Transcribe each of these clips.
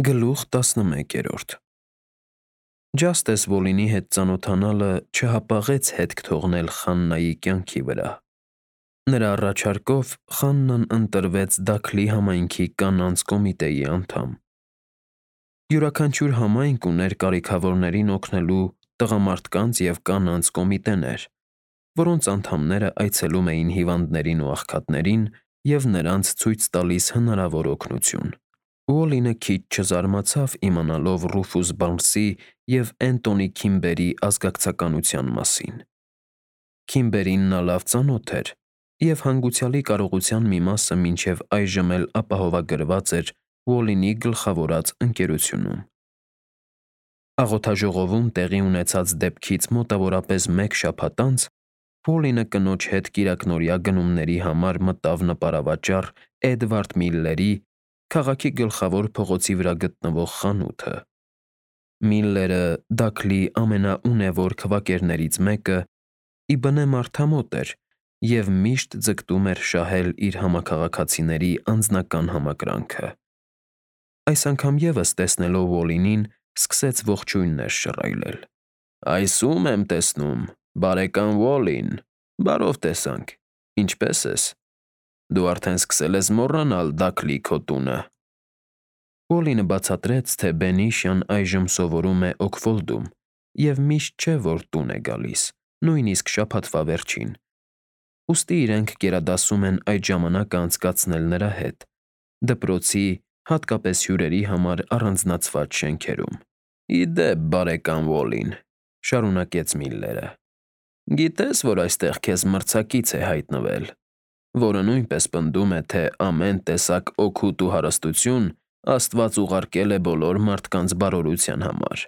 Գլուխ 11 Ջաստես Վոլինի հետ ծանոթանալը չհապաղեց հետք թողնել Խաննայի կյանքի վրա։ Նրա առաջարկով Խաննան ընտրվեց Դաքլի համայնքի կանանց կոմիտեի անդամ։ Յուրաքանչյուր համայնք ուներ կարիքավորներին օգնելու տղամարդկանց և կանանց կոմիտեներ, որոնց անդամները այցելում էին հիվանդներին ու աղքատներին և նրանց ցույց տալիս հնարավոր օգնություն։ Ուոլինը քիչ չզարմացավ իմանալով Ռուֆուս Բարնսի և Էնտոնի Քիմբերի ազգակցականության մասին։ Քիմբերին նա լավ ծանոթ էր, և հանգուցյալի կարողության մի մասը մինչև այժմ էլ ապահովագրված էր Ուոլինի գլխավորած ընկերությունում։ Աղոթաժողովում տեղի ունեցած դեպքից մոտավորապես մեկ շաբաթ անց Ուոլինը կնոջ հետ կիրակնօրյա գնումների համար մտավ նպարավաճառ Էդվարդ Միլլերի՝ քաղաքի գլխավոր փողոցի վրա գտնվող խանութը։ Միլլերը Դաքլի ամենաունևոր քվակերներից մեկը, ի բնե մարդամոտ էր և միշտ ձգտում էր շահել իր համաքաղաքացիների անձնական համակրանքը։ Այս անգամ ևս տեսնելով Ուոլինին՝ սկսեց ողջույններ շռայլել։ «Այս ո՞ւմ եմ տեսնում, բարեկամ Ուոլին, բարով տեսանք, ինչպե՞ս ես։ Դու արդեն սկսել ես մոռանալ Դաքլի քո տունը»։ Ուոլինը բացատրեց, թե Բենիշյան այժմ սովորում է Օքֆոլդում և միշտ չէ, որ տուն է գալիս, նույնիսկ շաբաթվա վերջին, ուստի իրենք գերադասում են այդ ժամանակը անցկացնել նրա հետ՝ դպրոցի, հատկապես հյուրերի համար առանձնացված շենքերում։ «Ի դեպ, բարեկամ Ուոլին,֊ շարունակեց Միլլերը,֊ գիտես, որ այստեղ քեզ մրցակից է հայտնվել, որը նույնպես պնդում է, թե ամեն տեսակ օգուտ ու հարստություն Աստված ուղարկել է բոլոր մարդկանց բարօրության համար։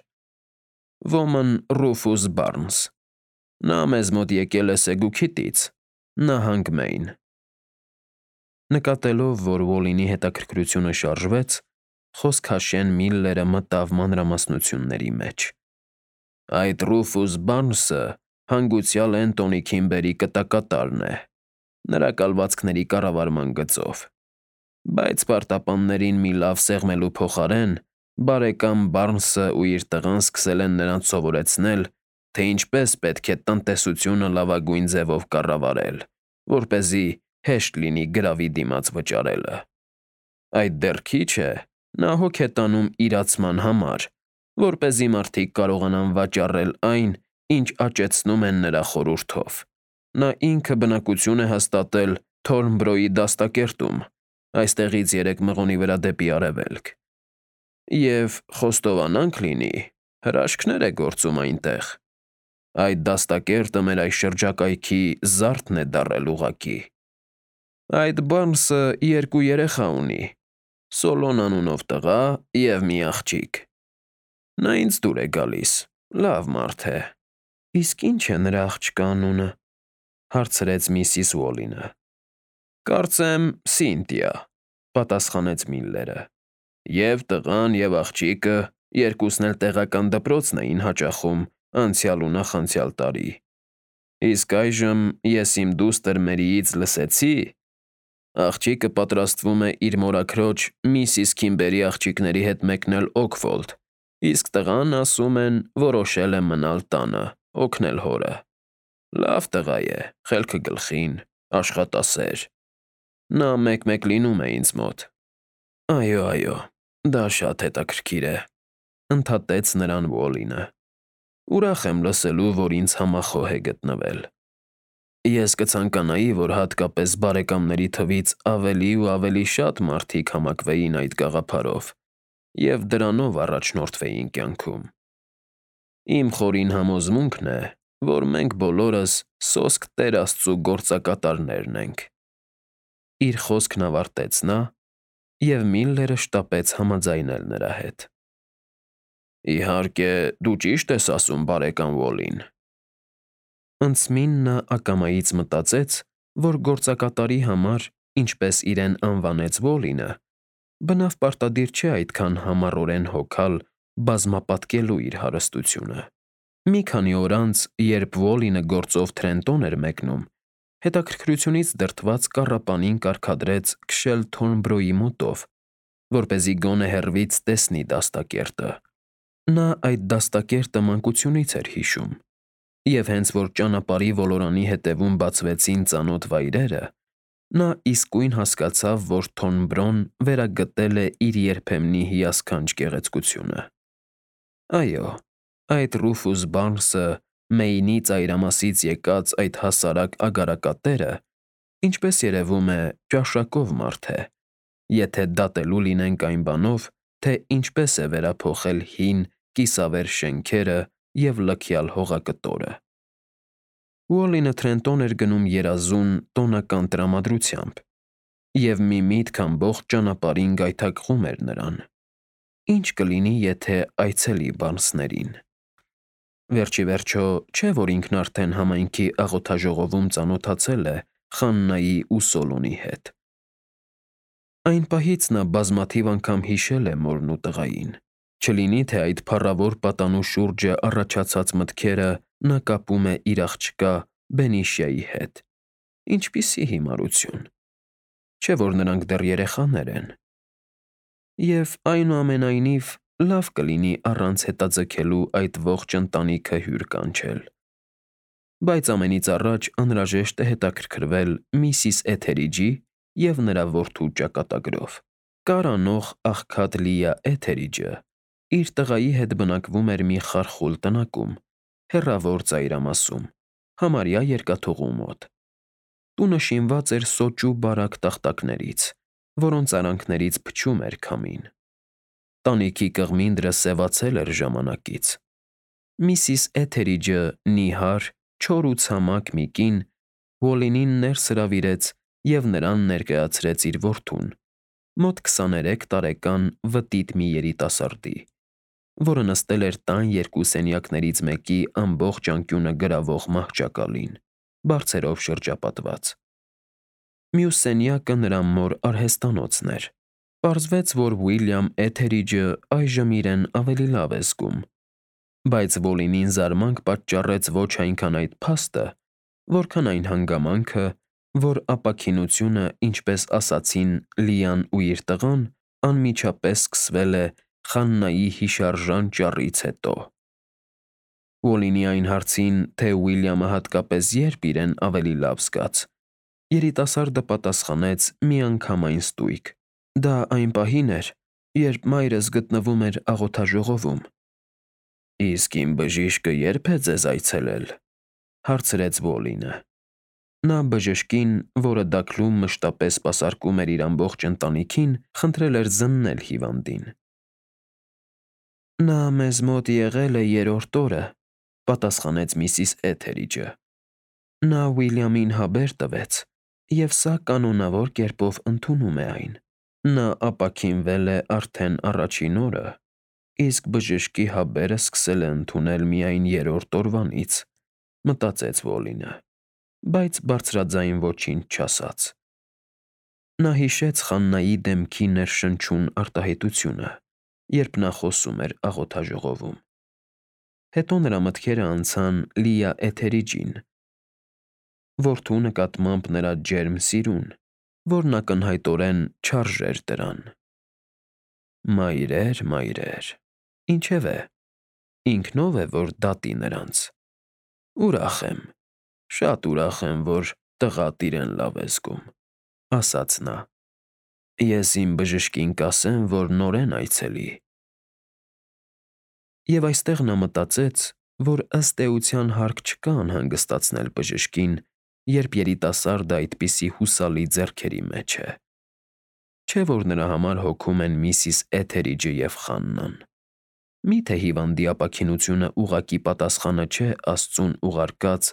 Ոմն Ռուֆուս Բարնս։ Նա մեզ մոտ եկել է Սեգուքիտից, նահանգ Մեյն»։ Նկատելով, որ Ուոլինի հետաքրքրությունը շարժվեց, խոսքաշեն Միլլերը մտավ մանրամասնությունների մեջ։ «Այդ Ռուֆուս Բարնսը հանգուցյալ Էնտոնի Քիմբերի կտակատարն է, նրա կալվածքների կառավարման գծով։ Բայց պարտապաններին մի լավ սեղմելու փոխարեն բարեկամ Բարնսն ու իր տղան սկսել են նրանց սովորեցնել, թե ինչպես պետք է տնտեսությունը լավագույն ձևով կառավարել, որպեսզի հեշտ լինի գրավի դիմաց վճարելը։ Այդ դեռ քիչ է, նա հոգ է տանում իրացման համար, որպեսզի մարդիկ կարողանան վաճառել այն, ինչ աճեցնում են նրա խորհրդով։ Նա ինքը բնակություն է հաստատել Թորնբրոյի դաստակերտում, այստեղից 3 մղոնի վրա դեպի արևելք։ Եվ խոստովանանք լինի, հրաշքներ է գործում այնտեղ։ Այդ դաստակերտը մեր այս շրջակայքի զարդն է դառել ուղղակի։ Այդ Բարնսը 2 երեխա ունի՝ Սոլոն անունով տղա և մի աղջիկ։ Նա ինձ դուր է գալիս, լավ մարդ է»։ «Իսկ ի՞նչ է նրա աղջկա անունը», հարցրեց միսիս Ուոլինը։ «Կարծեմ Սինտիա», պատասխանեց Միլլերը։ «ԵՒ տղան, և աղջիկը երկուսն էլ տեղական դպրոցն էին հաճախում անցյալ ու նախանցյալ տարի։ Իսկ այժմ ես իմ դուստր Մերիից լսեցի, աղջիկը պատրաստվում է իր մորաքրոջ՝ միսիս Քիմբերի աղջիկների հետ մեկնել Օքֆոլդ, իսկ տղան, ասում են, որոշել է մնալ տանը, օգնել հորը։ Լավ տղա է, խելքը գլխին, աշխատասեր։ Նա մեկ-մեկ լինում է ինձ մոտ»։ «Այո, դա շատ հետաքրքիր է», ընդհատեց նրան Ուոլինը։ «Ուրախ եմ լսելու, որ ինձ համախոհ է գտնվել։ Ես կցանկանայի, որ հատկապես բարեկամների թվից ավելի ու ավելի շատ մարդիկ համակվեին այդ գաղափարով և դրանով առաջնորդվեին կյանքում։ Իմ խորին համոզմունքն է, որ մենք բոլորս սոսկ Տեր Աստծու գործակատարներն ենք»։ Իր խոսքն ավարտեց նա, և Միլլերը շտապեց համաձայնել նրա հետ։ «Իհարկե, դու ճիշտ ես ասում, բարեկամ Ուոլին»։ Անցմին նա ակամայից մտածեց, որ գործակատարի համար, ինչպես իրեն անվանեց Ուոլինը, բնավ պարտադիր չէ այդքան համառորեն հոգալ բազմապատկելու իր հարստությունը։ Մի քանի օր անց, երբ Ուոլինը գործով Թրենտոն էր մեկնում, հետաքրքրությունից դրդված կառապանին կարգադրեց քշել Թորնբրոյի մոտով, որպեսզի գոնե հեռվից տեսնի դաստակերտը։ Նա այդ դաստակերտը մանկությունից էր հիշում, և հենց որ ճանապարհի ոլորանի հետևում բացվեցին ծանոթ վայրերը, նա իսկույն հասկացավ, որ Թորնբրոն վերագտել է իր երբեմնի հիասքանչ գեղեցկությունը։ Այո, այդ Ռուֆուս Բարնսը, Մեյնի ծայրամասից եկած այդ հասարակ ագարակատերը, ինչպես երևում է, ճաշակով մարդ է, եթե դատելու լինենք այն բանով, թե ինչպես է վերափոխել հին, կիսավեր շենքերը և լքյալ հողակտորը։ Ուոլլինը Թրենտոն էր գնում երազուն, տոնական տրամադրությամբ, և մի միտք ամբողջ ճանապարհին գայթակղում էր նրան. ինչ կլինի, եթե այցելի Բարնսներին։ Վերջ ի վերջո, չէ՞ որ ինքն արդեն համայնքի աղոթաժողովում ծանոթացել է Խաննայի ու Սոլունի հետ։ Այն պահից նա բազմաթիվ անգամ հիշել է մորն ու տղային, չլինի թե այդ փառավոր պատանու շուրջը առաջացած մտքերը նա կապում է իր աղջկա Բենիշիայի հետ։ Ինչպիսի հիմարություն։ Չէ՞ որ նրանք դեռ երեխաներ են։ Եվ այնուամենայնիվ լավ կլինի առանց հետաձգելու այդ ողջ ընտանիքը հյուր կանչել։ Բայց ամենից առաջ անհրաժեշտ է հետաքրքրվել միսիս Էթերիջի և նրա որդու ճակատագրով։ Կարանող աղքատ Լիա Էթերիջը իր տղայի հետ բնակվում էր մի խարխուլ տնակում, հեռավոր ծայրամասում, համարյա երկաթուղու մոտ։ Տունը շինված էր սոճու բարակ տախտակներից, որոնց արանքներից փչում էր քամին։ Տանիքի կղմինդրը սևացել էր ժամանակից։ Միսիս Էթերիջը նիհար, չոր ու ցամաք մի կին Ուոլլինին ներս հրավիրեց և նրան ներկայացրեց իր որդուն՝ մոտ 23 տարեկան վտիտ մի երիտասարդի, որը նստել էր տան երկու սենյակներից մեկի ամբողջ անկյունը գրավող մահճակալին, բարձերով շրջապատված։ Մյուս սենյակը նրա մոր արհեստանոցն էր։ Պարզվեց, որ Ուիլյամ Էթերիջը այժմ իրեն ավելի լավ է զգում, բայց Ոլինին զարմանք պատճառեց ոչ այնքան այդ փաստը, որքան այն հանգամանքը, որ ապաքինությունը, ինչպես ասացին Լիան ու իր տղան, անմիջապես սկսվել է Խաննայի հիշարժան ճառից հետո։ Ուոլլինի այն հարցին, թե Ուիլյամը հատկապես երբ իրեն ավելի լավ զգաց, երիտասարդը պատասխանեց միանգամայն ստույգ. դա այն պահին էր, երբ մայրս գտնվում էր աղոթաժողովում։ Իսկ իմ բժիշկը ե՞րբ է ձեզ այցելել, հարցրեց Ոլինը։ Նա բժշկին, որը դակլում մշտապես սպասարկում էր իր ամբողջ ընտանիքին, խնդրել էր զննել հիվանդին։ Նա մեզ մոտ եղել է երրորդ օրը, պատասխանեց միսիս Էթերիջը։ Նա Ուիլյամին հավեր տվեց, և սա կանոնավոր կերպով ընդունում է այն։ Նա ապաքինվել է արդեն առաջին օրը, իսկ բժշկի հավերը սկսել է ընդունել միայն երրորդ օրվանից, մտածեց Ոլինը, բայց բարձրաձայն ոչինչ չասաց։ Նա հիշեց Խաննայի դեմքի ներշնչուն արտահայտությունը, երբ նա խոսում էր աղոթաժողովում։ Հետո նրա մտքերը անցան Լիա Էթերիջին, որդու նկատմամբ նրա ջերմ սիրուն, որն ակնհայտորեն չարժեր դրան։ Մայրեր, մայրեր, ինչևէ, ինքնով է, որ դատի նրանց։ Ուրախ եմ, շատ ուրախ եմ, որ տղադ իրեն լավ է զգում, ասաց նա։ Ես իմ բժշկին կասեմ, որ նորեն այցելի։ Եվ այստեղ նա մտածեց, որ ըստ էության հարկ չկա անհանգստացնել բժշկին, երբ երիտասարդը այդպիսի հուսալի ձեռքերի մեջ է։ Չէ՞ որ նրա համար հոգում են միսիս Էթերիջը և Խաննան։ Մի՞թե հիվանդի ապաքինությունը ուղղակի պատասխանը չէ Աստծուն ուղարկած,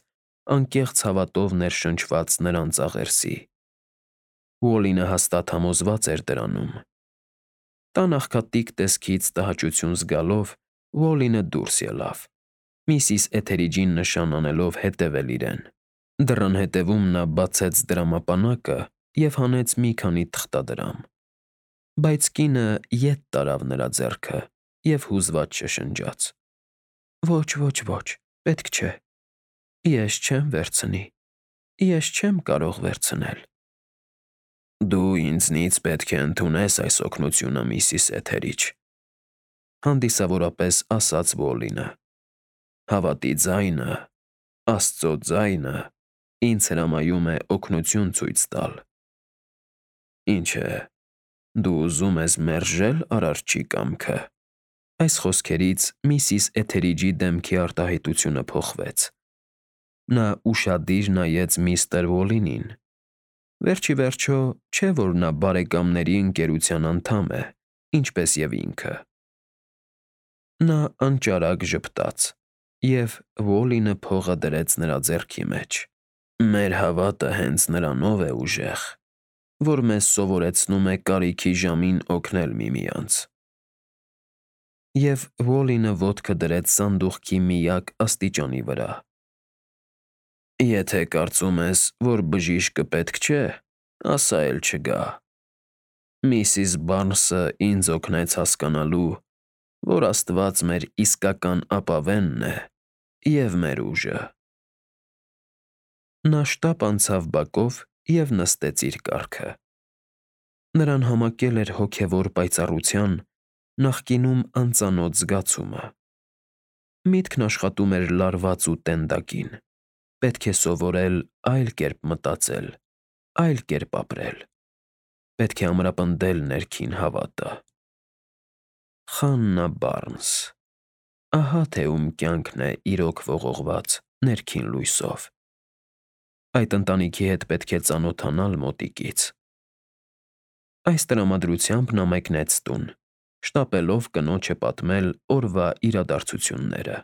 անկեղծ հավատով ներշնչված նրանց աղերսի։ Ուոլլինը հաստատ համոզված էր դրանում։ Տան աղքատիկ տեսքից տհաճություն զգալով, Ուոլլինը դուրս ելավ, միսիս Էթերիջին նշան անելով հետևել իրեն։ Դռան հետևում նա բացեց դրամապանակը և հանեց մի քանի թղթադրամ։ Բայց կինը ետ տարավ նրա ձեռքը և հուզված շշնջաց. Ոչ, ոչ, ոչ, պետք չէ։ Ես չեմ վերցնի։ Ես չեմ կարող վերցնել։ Դու ինձնից պետք է ընդունես այս օգնությունը, Միսիս Էթերիչ, հանդիսավորապես ասաց Ուոլինը։ Հավատի ձայնը, Աստծո ձայնը ինձ հրամայում է օգնություն ցույց տալ։ Ինչ է, դու ուզում ես մերժել արարչի կամքը։ Այս խոսքերից Միսիս Էթերիջի դեմքի արտահայտությունը փոխվեց։ Նա ուշադիր նայեց միստր Ուոլինին։ Վերջ ի վերջո, չէ՞ որ նա բարեկամների ընկերության անդամ է, ինչպես և ինքը։ Նա անճարակ ժպտաց, և Ուոլինը փողը դրեց նրա ձեռքի մեջ։ Մեր հավատը հենց նրանով է ուժեղ, որ մեզ սովորեցնում է կարիքի ժամին օգնել միմյանց։ Եվ Ուոլինը ոտքը դրեց սանդուղքի միակ աստիճանի վրա։ Եթե կարծում ես, որ բժիշկը պետք չէ, ասա էլ չգա։ Միսիս Բարնսը ինձ օգնեց հասկանալու, որ Աստված մեր իսկական ապավենն է և մեր ուժը։ Նա շտապ անցավ բակով և նստեց իր կառքը։ Նրան համակել էր հոգևոր պայծառության, նախկինում անծանոթ զգացումը։ Միտքն աշխատում էր լարված ու տենդակին։ Պետք է սովորել այլ կերպ մտածել, այլ կերպ ապրել։ Պետք է ամրապնդել ներքին հավատը։ Խաննա Բարնս… Ահա թե ում կյանքն է իրոք ողողված ներքին լույսով։ Այդ ընտանիքի հետ պետք է ծանոթանալ մոտիկից։ Այս տրամադրությամբ նա մեկնեց տուն, շտապելով կնոջը պատմել օրվա իրադարձությունները։